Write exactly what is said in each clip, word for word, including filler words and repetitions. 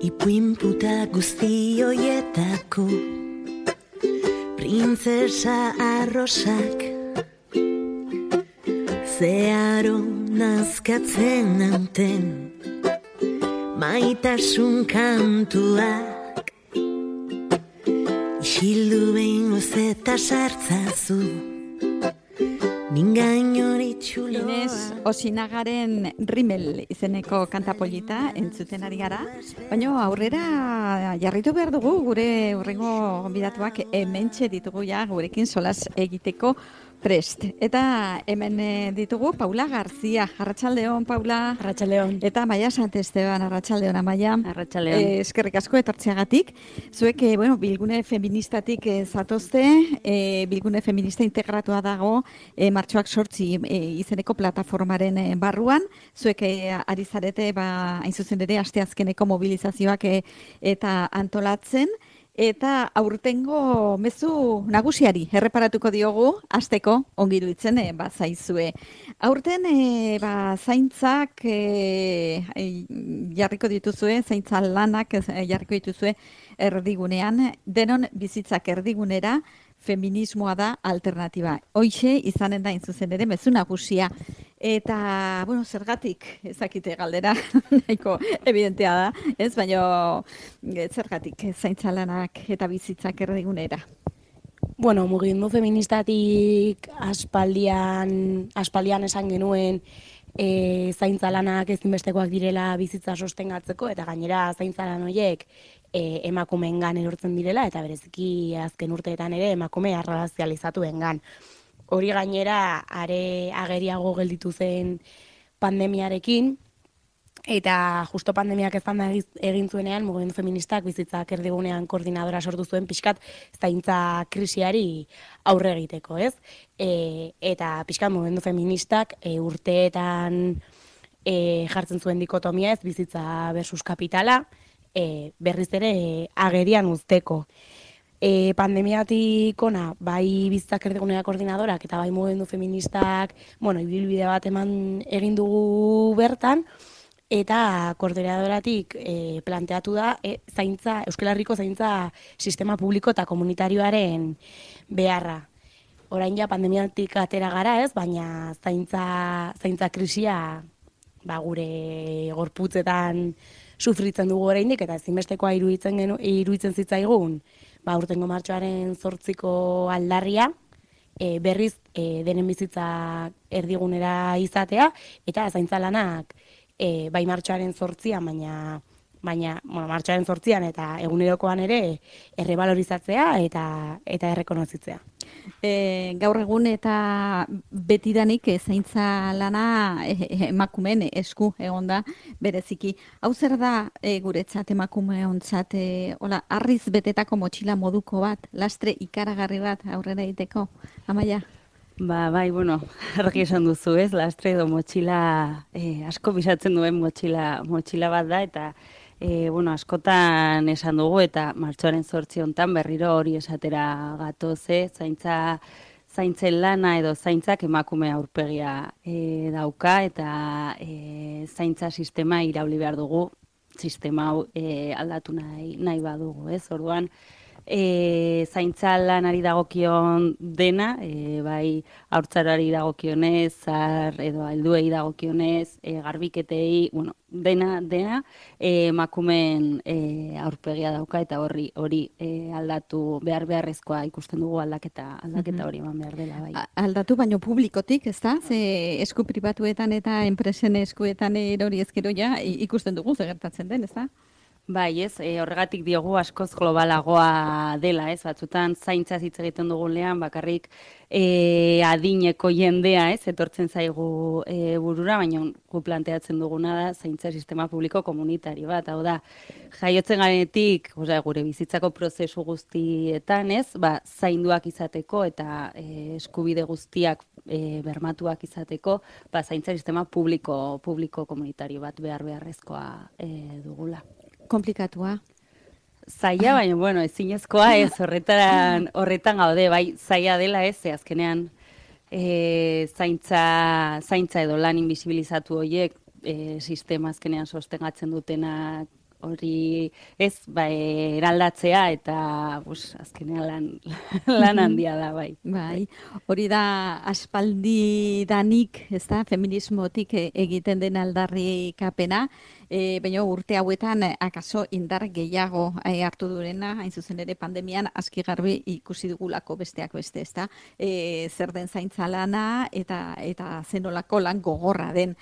Ipuin puta guzti hoietako printzesa arrosak zeharo nazkatzen nauten maitasun kantuak isildu behin gozeta sartzazu ningain hori txuloa. Inez Osinagaren Rimel izeneko kantapolita entzuten ari gara, baina aurrera jarritu behar dugu gure hurrengo gonbidatuak hementxe ditugu ja gurekin solas egiteko prest. Eta hemen ditugu Paula Garzia. Arratsaldeon, Paula. Arratsaldeon. Eta Amaia Santesteban. Arratsaldeon, Amaia. Arratsaldeon. Eh, eskerrik asko etortzeagatik. Zuek, eh, bueno, bilgune feministatik eh, zatozte, eh, bilgune feminista integratua dago eh, martxoak sortzi eh, izeneko plataformaren eh, barruan. Zuek eh, ari zarete, ba, hain zuzen ere, asteazkeneko mobilizazioak eh, eta antolatzen. Eta aurtengo mezu nagusiari erreparatuko diogu, hasteko ongi iruditzen e, bazaizue. Aurten e, ba, zaintzak e, jarriko dituzue, zaintza lanak e, jarriko dituzue erdigunean, denon bizitzak erdigunera, feminismoa da alternatiba. Hoixe izanen da zuzen ere mezu nagusia. Eta, bueno, zergatik, ezakite galdera, nahiko evidentea da, ez, baina zergatik zaintza lanak eta bizitzak erdigunera. Bueno, mugimendu feministatik aspaldian, aspaldian esan genuen e, zaintza lanak ezinbestekoak direla bizitza sostengatzeko, eta gainera zaintza lan horiek e, emakumeengan erortzen direla, eta bereziki azken urteetan ere emakume arrazializatuengan. Hori gainera are ageriago gelditu zen pandemiarekin, eta justo pandemiak ezan egin zuenean, mugimendu feministak bizitzak erdigunean koordinadora sortu zuen pixkat zaintza krisiari aurre egiteko, ez? E, eta pixkat mugimendu feministak e, urteetan e, jartzen zuen dikotomia ez, bizitza versus kapitala, e, berriz ere e, agerian uzteko. E, pandemiatik ona, bai bizitzak erdigunea koordinadorak eta bai mugimendu feministak, bueno, ibilbide bat eman egin dugu bertan, eta koordinadoratik e, planteatu da e, zaintza, Euskal Herriko zaintza sistema publiko eta komunitarioaren beharra. Orain ja pandemiatik atera gara ez, baina zaintza, zaintza krisia ba, gure gorputzetan sufritzen dugu oraindik eta ezinbestekoa iruditzen genu, iruditzen zitzaigun, ba, urtengo martxoaren zortziko aldarria, e, berriz e, denen bizitza erdigunera izatea, eta zaintza lanak e, bai martxoaren zortzian, baina, baina bueno, martxoaren zortzian eta egunerokoan ere errebalorizatzea eta, eta errekonozitzea. E, gaur egun eta betidanik e, zaintza lana e, emakumeen esku egonda bereziki. Hau zer da e, guretzat emakumeontzat e, hola, harriz betetako motxila moduko bat, lastre ikaragarri bat aurrera egiteko, Amaia? Ba, bai, bueno, argi esan duzu ez, lastre edo motxila, eh, asko bisatzen duen motxila, motxila bat da, eta E, bueno, askotan esan dugu eta martxoaren zortzi hontan berriro hori esatera gatoze, zaintza, zaintzen lana edo zaintzak emakume aurpegia e, dauka eta e, zaintza sistema irauli behar dugu, sistema hau e, aldatu nahi, nahi badugu, ez? Orduan, E, zaintza lanari dagokion dena, e, bai haurtzarari dagokionez, zar edo helduei dagokionez, e, garbiketei, bueno, dena, dena e, emakumeen e, aurpegia dauka eta horri hori e, aldatu behar beharrezkoa ikusten dugu aldaketa aldaketa hori eman behar dela. Bai. Aldatu baino publikotik, ez da? Ze esku pribatuetan eta enpresen eskuetan erori ezkero ja ikusten dugu ze gertatzen den, ez da? Bai, ez, e, horregatik diogu askoz globalagoa dela, ez, batzutan zaintza hitz egiten dugunean, bakarrik e, adineko jendea, ez, etortzen zaigu e, burura, baina gu planteatzen duguna da zaintza sistema publiko komunitario bat, hau da, jaiotzen garenetik, osea, gure bizitzako prozesu guztietan, ez, ba, zainduak izateko eta e, eskubide guztiak e, bermatuak izateko, ba, zaintza sistema publiko, publiko komunitario bat behar beharrezkoa e, dugula. Komplikatua. Zaila, baina, bueno, ezinezkoa ez, horretan, horretan gaude, bai, zaila dela ez, ze azkenean e, zaintza, zaintza edo lan invisibilizatu horiek e, sistema azkenean sostengatzen dutenak hori ez, ba, eraldatzea eta bus, azkenean lan, lan handia da, bai. Bai, hori da aspaldidanik, ez da, feminismotik e- egiten den aldarrikapena, e, baina urte hauetan eh, akaso indar gehiago eh, hartu durena, hain zuzen ere pandemian aski garbi ikusi dugulako besteak beste, ez da, e, zer den zaintza lana eta eta zenolako lan gogorra den.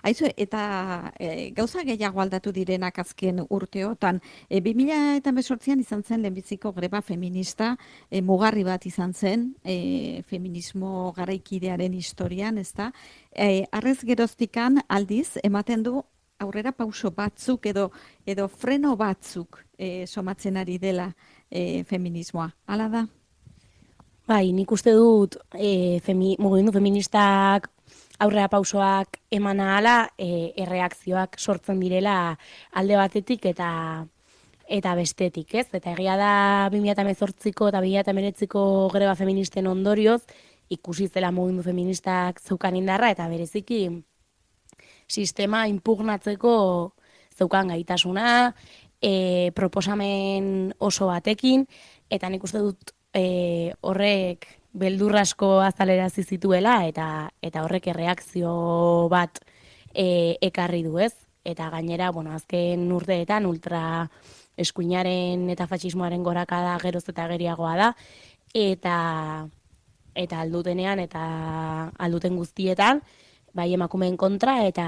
Aizu, eta e, gauza gehiago aldatu direnak azken urteotan, e, bi mila hemezortzian izan zen lehenbiziko greba feminista, e, mugarri bat izan zen, e, feminismo garaikidearen historian, ez da, e, arrez geroztikan aldiz ematen du aurrera pauso batzuk edo edo freno batzuk e, somatzen ari dela e, feminismoa. Hala da? Bai, nik uste dut e, femi, mugimendu feministak aurrera pausoak eman ahala, e, erreakzioak sortzen direla alde batetik eta eta bestetik, ez? Eta egia da bi mila hemezortziko eta bi mila hemeretziko greba feministen ondorioz ikusi zela mugimendu feministak zeukan indarra eta bereziki sistema impugnatzeko zeukan gaitasuna, e, proposamen oso batekin, eta nik uste dut e, horrek beldurrasko azalerazi zituela eta eta horrek erreakzio bat e, ekarri du, ez? Eta gainera, bueno, azken urteetan ultra eskuinaren eta fatxismoaren gorakada geroz eta geriagoa da, eta eta aldutenean eta alduten guztietan, bai emakumeen kontra eta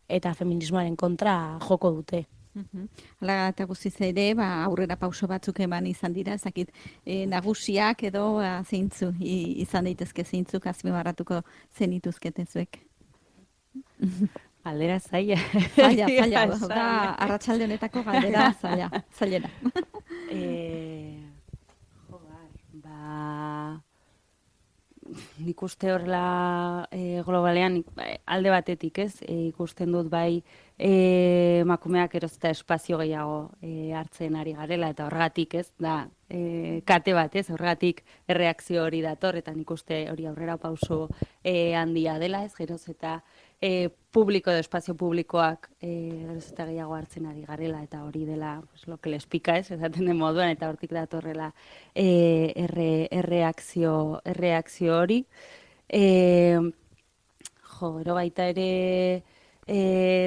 eta feminismoaren kontra joko dute. Mhm. Hala eta guztiz ere, ba, aurrera pauso batzuk eman izan dira, ez dakit, e, nagusiak edo ba, zeintzu i- izan daitezke zeintzuk azpimarratuko zenituzkete zuek. Galdera zaila. Zaila, zaila, da, Zaila. arratsalde honetako galdera zaila, zailena. Eh, jo, bai, ba, nik uste horrela e, globalean nik, ba, alde batetik, ez, e, ikusten dut bai e, emakumeak erozta espazio gehiago e, hartzen ari garela, eta horregatik, ez, da, e, kate bat, ez, horregatik erreakzio hori dator, eta nik uste hori aurrera pauso e, handia dela, ez, geroz eta e, publiko edo espazio publikoak e, geroz eta gehiago hartzen ari garela, eta hori dela, pues, lo que les pica, ez, esaten den moduan, eta hortik datorrela e, erre, erreakzio, erreakzio hori. E, jo, gero baita ere e,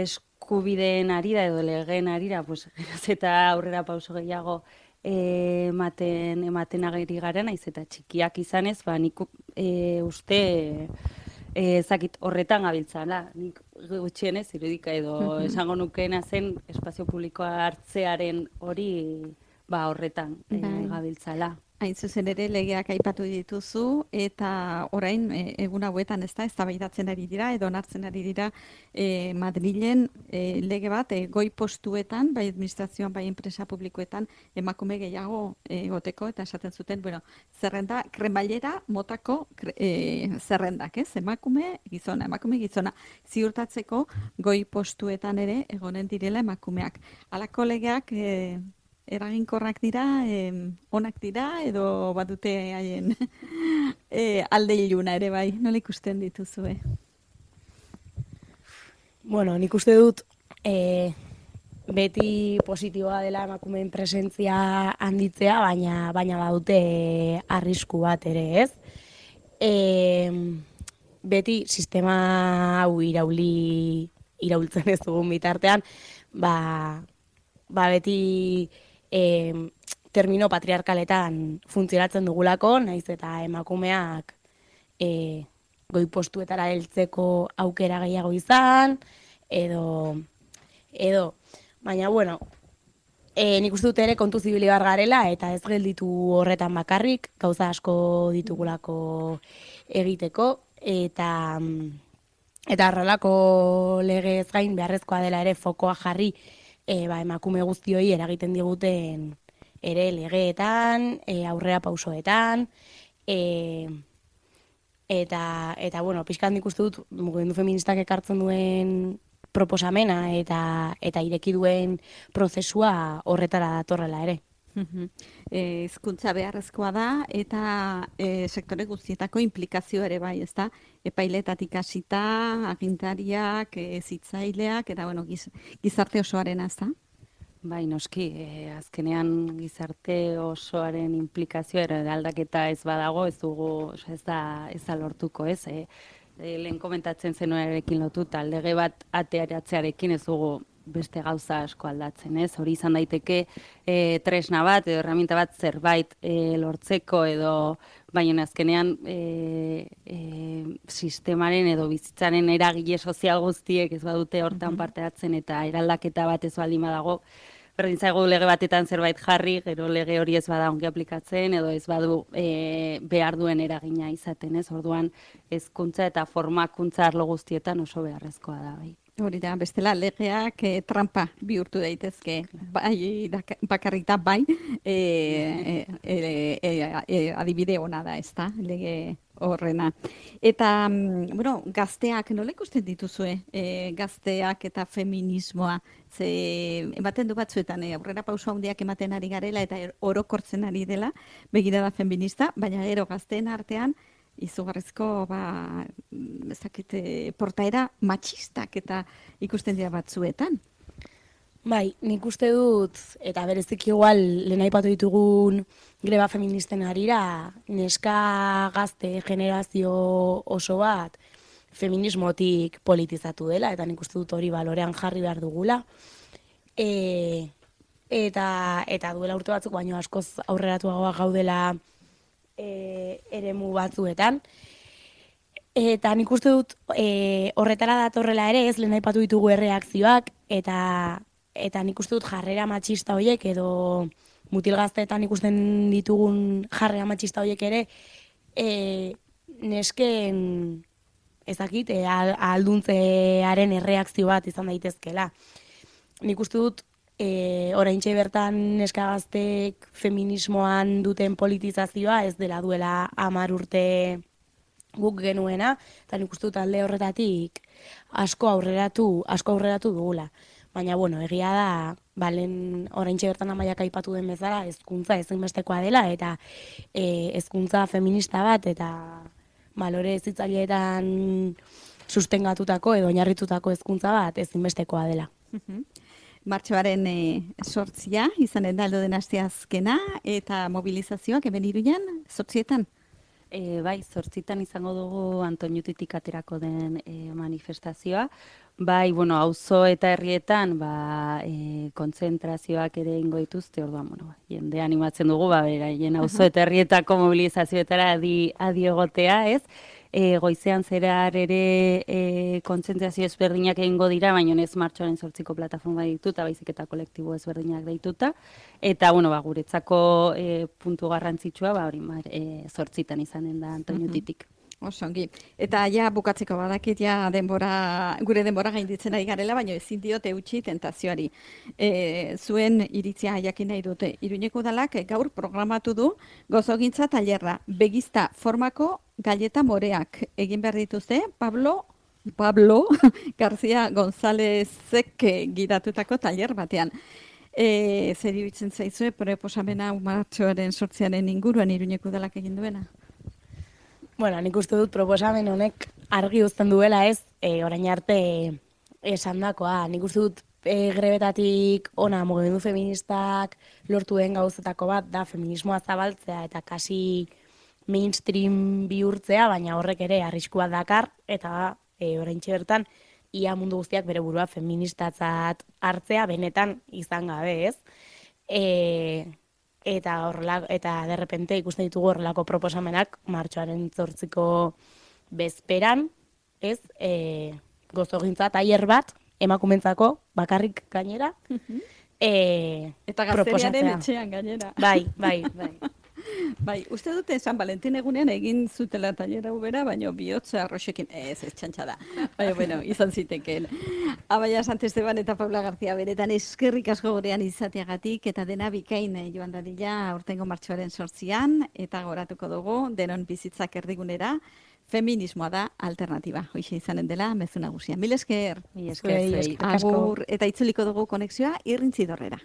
eskubideen arira edo legeen arira, pues, geroz eta aurrera pauso gehiago e, ematen, ematen ageri garen, naiz eta txikiak izanez, ba, nik e, uste e, ezakit horretan gabiltzala, nik gutxienez irudika edo esango nukeena zen espazio publikoa hartzearen hori ba horretan e, Bai. gabiltzala. Hain zuzen ere legeak aipatu dituzu eta orain e, egun hauetan ez da eztabaidatzen ari dira edo onartzen ari dira e, Madrilen e, lege bat e, goi postuetan, bai administrazioan, bai enpresa publikoetan emakume gehiago e, egoteko eta esaten zuten, bueno, zerrenda kremailera motako kre, e, zerrendak, ez? Emakume, gizona, emakume, gizona ziurtatzeko goi postuetan ere egonen direla emakumeak. Halako legeak e, eraginkorrak dira, eh, onak dira, edo badute haien eh, alde iluna ere bai, nola ikusten dituzue? Bueno, nik uste dut e, beti positiboa dela emakumeen presentzia handitzea, baina baina badute arrisku bat ere, ez? E, beti sistema hau irauli iraultzen ez dugun bitartean, ba, ba beti e, termino patriarkaletan funtzionatzen dugulako, naiz eta emakumeak e, goi postuetara heltzeko aukera gehiago izan, edo, edo, baina, bueno, e, nik uste dut ere kontu zibili bar garela, eta ez gelditu horretan bakarrik, gauza asko ditugulako egiteko, eta eta horrelako legez gain beharrezkoa dela ere fokoa jarri e, ba, emakume guztioi eragiten diguten ere legeetan, e, aurrera pausoetan, e, eta, eta bueno, pixkan nik uste dut mugimendu feministak ekartzen duen proposamena eta eta ireki duen prozesua horretara datorrela ere. E, hizkuntza beharrezkoa da eta e, sektore guztietako implikazio ere bai, ezta? Epailetatik hasita, agintariak, e, zitzaileak eta bueno, giz, gizarte osoarena, ezta? Bai, noski, e, azkenean gizarte osoaren implikazioa ere aldaketa ez badago, ez dugu, ez da, ez da lortuko, ez? E, e, lehen komentatzen zenuarekin lotuta, lege bat atearatzearekin ez dugu beste gauza asko aldatzen, ez? Hori izan daiteke e, tresna bat edo herramienta bat zerbait e, lortzeko edo baina azkenean e, e, sistemaren edo bizitzaren eragile sozial guztiek ez badute hortan parte hartzen eta eraldaketa bat ez baldin badago, berdin zaigu lege batetan zerbait jarri, gero lege hori ez bada ongi aplikatzen edo ez badu e, behar duen eragina izaten, ez? Orduan hezkuntza eta formakuntza arlo guztietan oso beharrezkoa da, bai. Hori da, bestela legeak e, trampa bihurtu daitezke, bai, bakarrita bai, e, e, e, e, e, adibide ona da, ez da, lege horrena. Eta, bueno, gazteak, nola ikusten dituzue, e, gazteak eta feminismoa, ze ematen du batzuetan, e, aurrera pauso handiak ematen ari garela eta orokortzen ari dela, begirada feminista, baina gero gazteen artean, izugarrizko, ba, ezakite, portaera matxistak eta ikusten dira batzuetan. Bai, nik uste dut, eta berezik igual, lehen aipatu ditugun greba feministen harira, neska gazte generazio oso bat feminismotik politizatu dela, eta nik uste dut hori balorean jarri behar dugula. E, eta, eta duela urte batzuk, baino askoz aurreratuagoa gaudela E, eremu batzuetan. Eta nik uste dut e, horretara datorrela ere ez lehen aipatu ditugu erreakzioak eta, eta nik uste dut jarrera matxista horiek edo mutilgazteetan ikusten ditugun jarrera matxista horiek ere e, nesken ezakit, e, alduntzearen erreakzio bat izan daitezkela. Nik uste dut E, oraintxe bertan neska gaztek feminismoan duten politizazioa ez dela duela hamar urte guk genuena, eta nik uste dut alde horretatik asko aurreratu, asko aurreratu dugula. Baina, bueno, egia da, balen oraintxe bertan amaiak aipatu den bezala, hezkuntza ezinbestekoa dela, eta e, hezkuntza feminista bat, eta balore hezitzaileetan sustengatutako edo oinarritutako hezkuntza bat ezinbestekoa dela. Martxoaren e, sortzia, izanen da aldo den asteazkena, eta mobilizazioak hemen Iruñan, zortzietan? E, bai, zortzitan izango dugu Antoñutitik aterako den e, manifestazioa. Bai, bueno, auzo eta herrietan, ba, e, kontzentrazioak ere ingo dituzte, orduan, bueno, jende animatzen dugu, ba, beraien auzo eta herrietako mobilizazioetara adi, adi egotea, ez? E, goizean zehar ere e, kontzentrazio ezberdinak egingo dira, baina ez martxoaren zortziko plataforma dituta, baizik eta kolektibo ezberdinak deituta. Eta, bueno, ba, guretzako e, puntu garrantzitsua, ba, hori, e, zortzitan izanen da Antoñutitik. Osongi. Eta ja bukatzeko badakit ja denbora, gure denbora gainditzen ari garela, baina ezin diote utzi tentazioari. E, zuen iritzia jakin nahi dute. Iruñeko udalak gaur programatu du gozogintza tailerra. Begizta formako galleta moreak egin behar dituzte, Pablo Pablo García Gonzálezek gidatutako tailer batean. E, zer iruditzen zaizue proposamena martxoaren sortziaren inguruan Iruñeko udalak egin duena? Bueno, nik uste dut proposamen honek argi uzten duela ez, e, orain arte esandakoa. Nik uste dut e, grebetatik ona mugimendu feministak lortu den gauzetako bat da feminismoa zabaltzea eta kasi mainstream bihurtzea, baina horrek ere arriskua dakar eta e, oraintxe bertan ia mundu guztiak bere burua feministatzat hartzea benetan izan gabe, ez? E, eta horrela, eta derrepente ikusten ditugu horrelako proposamenak martxoaren zortziko bezperan, ez, e, gozogintza tailer bat, emakumentzako, bakarrik gainera, e, eta gazteriaren etxean gainera. Bai, bai, bai. Bai, uste dute San Valentin egunean egin zutela tailera ubera, baina bihotza arroxekin, ez, ez txantxa da. Baina, bueno, izan zitekeen. Abaia Santesteban eta Paula García beretan eskerrik asko gurean izateagatik, eta dena bikain joan dadila aurtengo martxoaren sortzian, eta goratuko dugu, denon bizitzak erdigunera, feminismoa da alternatiba. Hoxe izanen dela, mezu nagusia. Mil esker. Mil esker. Agur, eta itzuliko dugu konexioa irrintzidorrera.